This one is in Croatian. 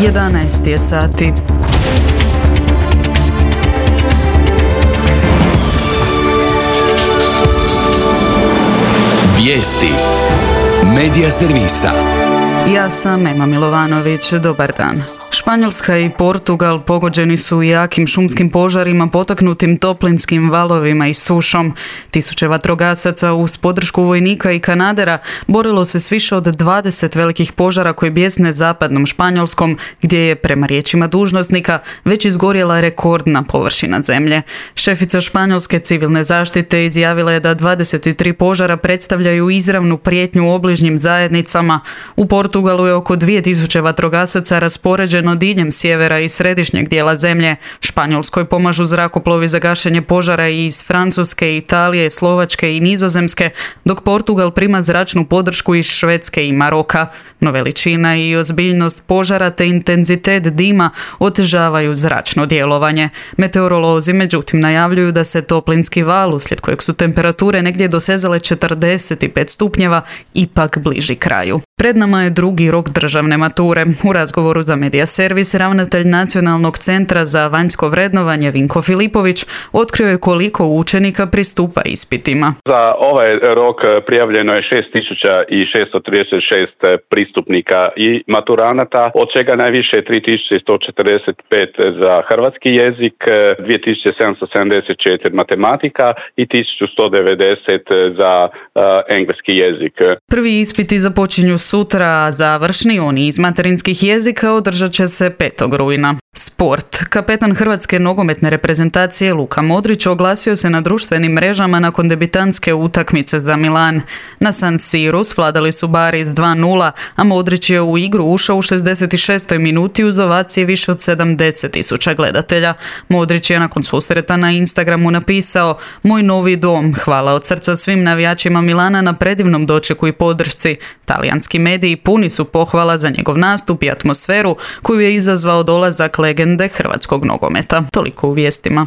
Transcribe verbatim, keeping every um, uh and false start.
jedanaest je sati. Vijesti Medija servisa. Ja sam Ema Milovanović, dobar dan. Španjolska i Portugal pogođeni su jakim šumskim požarima potaknutim toplinskim valovima i sušom. Tisuće vatrogasaca uz podršku vojnika i kanadera borilo se s više od dvadeset velikih požara koji bjesne zapadnom Španjolskom, gdje je, prema riječima dužnosnika, već izgorjela rekordna površina zemlje. Šefica španjolske civilne zaštite izjavila je da dvadeset tri požara predstavljaju izravnu prijetnju obližnjim zajednicama. U Portugalu je oko dvije tisuće vatrogasaca raspoređeno diljem sjevera i središnjeg dijela zemlje. Španjolskoj pomažu zrakoplovi za gašenje požara i iz Francuske, Italije, Slovačke i Nizozemske, dok Portugal prima zračnu podršku iz Švedske i Maroka. No veličina i ozbiljnost požara te intenzitet dima otežavaju zračno djelovanje. Meteorolozi međutim najavljuju da se toplinski val, uslijed kojeg su temperature negdje dosezale četrdeset pet stupnjeva, ipak bliži kraju. Pred nama je drugi rok državne mature. U razgovoru za Medija servis ravnatelj Nacionalnog centra za vanjsko vrednovanje Vinko Filipović otkrio je koliko učenika pristupa ispitima. Za ovaj rok prijavljeno je šest tisuća šesto trideset šest pristupnika i maturanata, od čega najviše tri tisuće sto četrdeset pet za hrvatski jezik, dvije tisuće sedamsto sedamdeset četiri matematika i tisuću sto devedeset za uh, engleski jezik. Prvi ispiti započinju sutra, a završni, oni iz materinskih jezika, održat će se petog rujna. Sport. Kapetan hrvatske nogometne reprezentacije Luka Modrić oglasio se na društvenim mrežama nakon debitanske utakmice za Milan. Na San Siru svladali su Bari s dva nula, a Modrić je u igru ušao u šezdeset šestoj minuti uz ovacije više od sedamdeset tisuća gledatelja. Modrić je nakon susreta na Instagramu napisao: "Moj novi dom, hvala od srca svim navijačima Milana na predivnom dočeku i podršci." Talijanski mediji puni su pohvala za njegov nastup i atmosferu koju je izazvao dolazak legende hrvatskog nogometa. Toliko u vijestima.